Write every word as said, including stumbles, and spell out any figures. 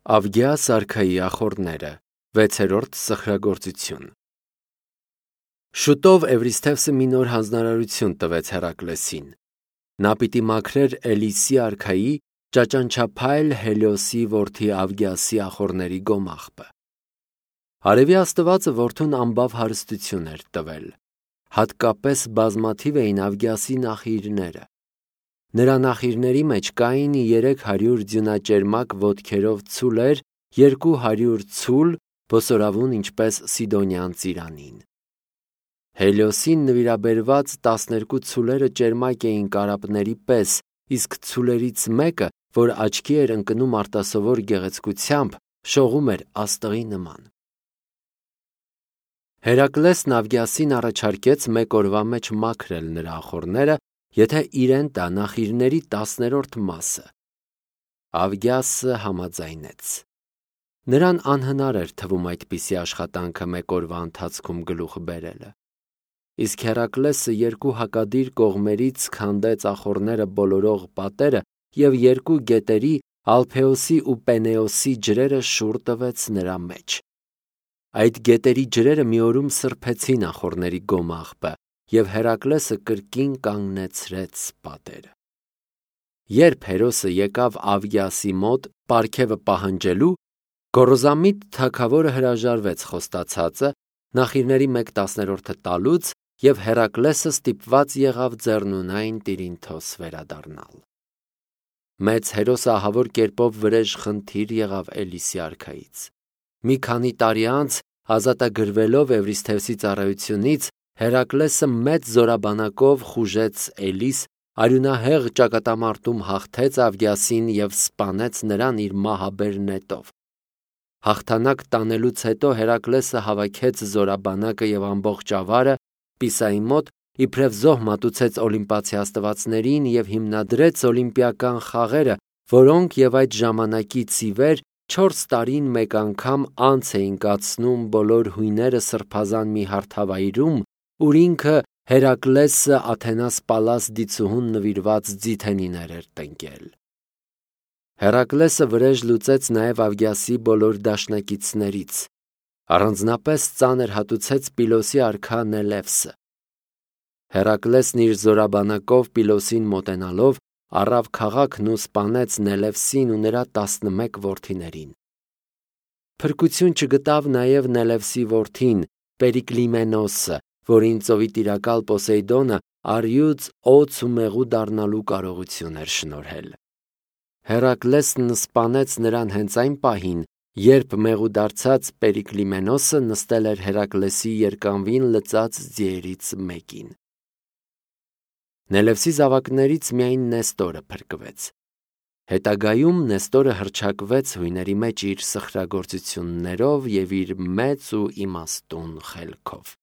Ավգիաս արքայի ախոռները, վեցերորդ սխրագործություն։ Շուտով Էվրիսթևսը մի նոր հանձնարարություն տվեց Հերակլեսին։ Նա պիտի մաքրեր Էլիսի արքայի ճաճանչափայլ Հելիոսի որդի Ավգիասի ախոռների գոմաղբը։ Արևի աստվածը որդուն ամբավ հարստություն էր տվել, հատկապես բազմաթիվ էին Ավգիասի նախիրները։ Նրա նախիրների մեջ կային երեք հարյուր ձյունաճերմակ ոտքերով ցուլեր, երկու հարյուր ցուլ, բոսորավուն ինչպես Սիդոնյան ծիրանին։ Հելիոսին նվիրաբերված տասներկու ցուլերը ճերմակ էին կարապների պես, իսկ ցուլերից մեկը, որ աչքի էր ընկնում արտասովոր գեղեցկությամբ, շողում էր աստղի նման։ Հերակլեսն Ավգիասին առաջարկեց մեկ օրվա մեջ մաքրել նրա ախոռները, եթե իրեն տա նախիրների տասներորդ մասը։ Ավգիասը համաձայնեց։ Նրան անհնար էր թվում այդպիսի աշխատանքը մեկ օրվա ընթացքում գլուխ բերելը։ Իսկ Հերակլեսը երկու հակադիր կողմերից քանդեց ախոռները բոլորող պատերը և երկու գետերի՝ Ալփեոսի ու Պենեոսի ջրերը շուռ տվեց նրա մեջ։ Այդ գետերի ջրերը մի օրում սրբեցին ախոռների գոմաղբը, և Հերակլեսը կրկին կանգնեցրեց պատերը։ Երբ հերոսը եկավ Ավգիասի մոտ պարգևը պահանջելու, գոռոզամիտ թագավորը հրաժարվեց խոստացածը, նախիրների մեկ տասներորդը տալուց, և Հերակլեսը ստիպված եղավ ձեռնունայն Տիրինթոս վերադառնալ։ Մեծ հերոսը ահավոր կերպով վրեժ խնդիր եղավ Էլիսի արքայից։ Մի քանի տարի անց, ազատագրվելով Էվրիսթևսի ծառայությունից, Հերակլեսը մեծ զորաբանակով խուժեց Էլիս, արյունահեղ ճակատամարտում հաղթեց Ավգիասին և սպանեց նրան իր մահաբեր նետով։ Հաղթանակ տանելուց հետո Հերակլեսը հավաքեց զորաբանակը և ամբողջ ավարը Պիսայի մոտ, իբրև զոհ մատուցեց օլիմպացի աստվածներին և հիմնադրեց օլիմպիական խաղերը, որոնք և այդ ժամանակից ի վեր չորս տարին մեկ անգամ անց էին կացնում բոլոր հույները սրբազան մի հարթավայրում, ուր ինքը Հերակլեսը Աթենաս Պալաս դիցուհուն նվիրված ձիթենիներ էր տնկել։ Հերակլեսը վրեժ լուծեց նաև Ավգիասի բոլոր դաշնակիցներից։ Առանձնապես ծանր հատուցեց Պիլոսի արքա Նելևսը։ Հերակլեսն իր զորաբանակով Պիլոսին մոտենալով առավ քաղաքն ու սպանեց Նելևսին ու նրա տասնմեկ որդիներին։ Փրկություն չգտավ նաև Նելևսի որդին Պերիկլիմենոսը, որին ծովի տիրակալ Պոսեյդոնը առյուծ, օձ ու մեղու դառնալու կարողություն էր շնորհել։ Հերակլեսն սպանեց նրան հենց այն պահին, երբ մեղու դարձած Պերիկլիմենոսը նստել էր Հերակլեսի երկանվին լծած ձիերից մեկին։ Նելևսի զավակներից միայն Նեստորը փրկվեց։ Հետագայում Նեստորը հռչակվեց հույների մեջ իր սխրագործություններով և իր մեծ ու իմաստուն խելքով։